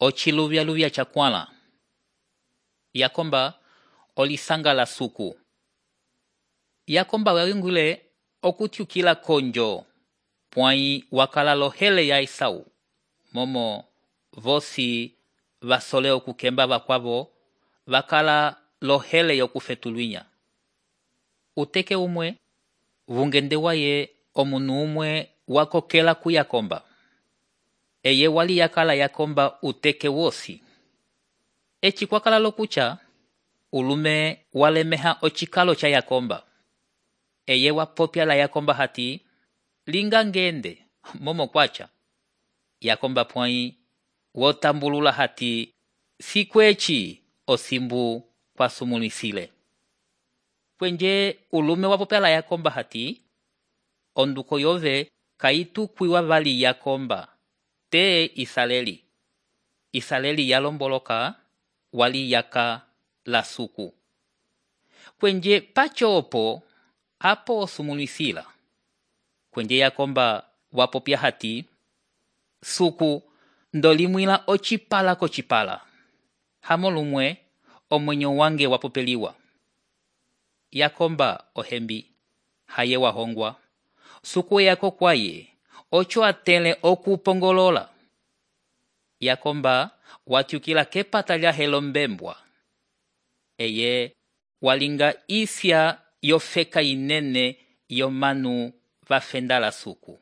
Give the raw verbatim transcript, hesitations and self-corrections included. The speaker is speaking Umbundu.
ociluvya-luvya chakwãla. Yakomba olisanga la suku. Yakomba wawingule okutyukila konjo, pwãyi wakala lohele ya Esau, momo vosi vasole okukemba vakwavo, vakala lohele yokufetulwinya. Uteke umwe, vungende waye omunu umwe wakokela ku Yakomba. Eye wali yakala Yakomba uteke wosi. Eci kwakala lokucha, ulume walemeha ocikalo cha Yakomba. Eye wapopya la Yakomba hati, linga ngende, momo kwacha. Yakomba pwãyi wotambulula hati, sikweci osimbu kwa sumulisile. Kwenje ulume wapopya la Yakomba hati, onduko yove kaitu kwiwa vali Yakomba, te Isaleli. Isaleli yalomboloka wali yaka la suku. Kwenje pacho opo, apo osumulisila. Kwenje Yakomba wapopya hati, suku ndolimwila ocipala kocipala. Hamolumwe omwenyo wange wapopeliwa. Yakomba ohembi, haye wahongwa. Suku yako kwaye, ocho atele okupongolola. Yakomba watyukila kepata lya helo mbembwa. Eye walinga isya yofeka inene yomanu vafenda la suku.